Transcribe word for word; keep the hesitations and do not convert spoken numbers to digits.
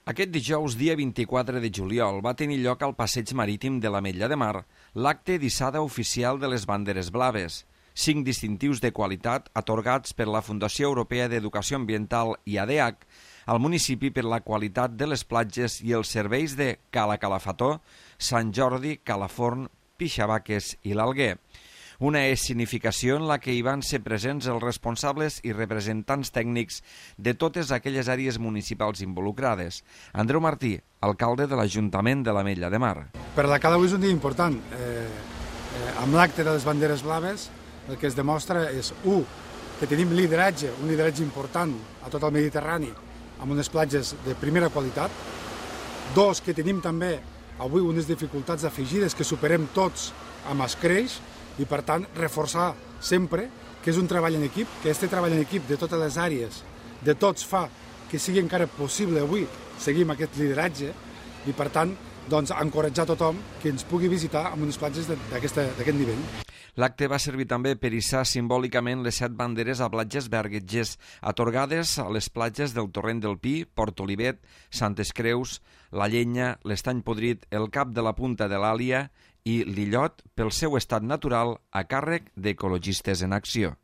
Aquest dijous, dia vint-i-quatre de juliol, va tenir lloc al Passeig Marítim de l'Ametlla de Mar l'acte d'hissada oficial de les banderes blaves, cinc distintius de qualitat atorgats per la Fundació Europea d'Educació Ambiental i A D H al municipi per la qualitat de les platges i els serveis de Cala Calafató, Sant Jordi, Calaforn, Pixavaques i l'Alguer. Una escenificació en la que hi van ser presents els responsables i representants tècnics de totes aquelles àrees municipals involucrades. Andreu Martí, alcalde de l'Ajuntament de l'Ametlla de Mar. Per la Cala avui és un dia important. Eh, eh, amb l'acte de les banderes blaves el que es demostra és, u, que tenim lideratge, un lideratge important a tot el Mediterrani, amb unes platges de primera qualitat. Dos, que tenim també avui unes dificultats afegides que superem tots amb escreix, i per tant reforçar sempre que és un treball en equip, que este treball en equip de totes les àrees, de tots, fa que sigui encara possible avui seguir amb aquest lideratge i per tant doncs, encoratjar tothom que ens pugui visitar amb unes platges d'aquest nivell. L'acte va servir també per hissar simbòlicament les set banderes a platges berguetgers, atorgades a les platges del Torrent del Pi, Port Olivet, Santes Creus, la Llenya, l'Estany Podrit, el Cap de la Punta de l'Àlia i l'Illot pel seu estat natural a càrrec d'Ecologistes en Acció.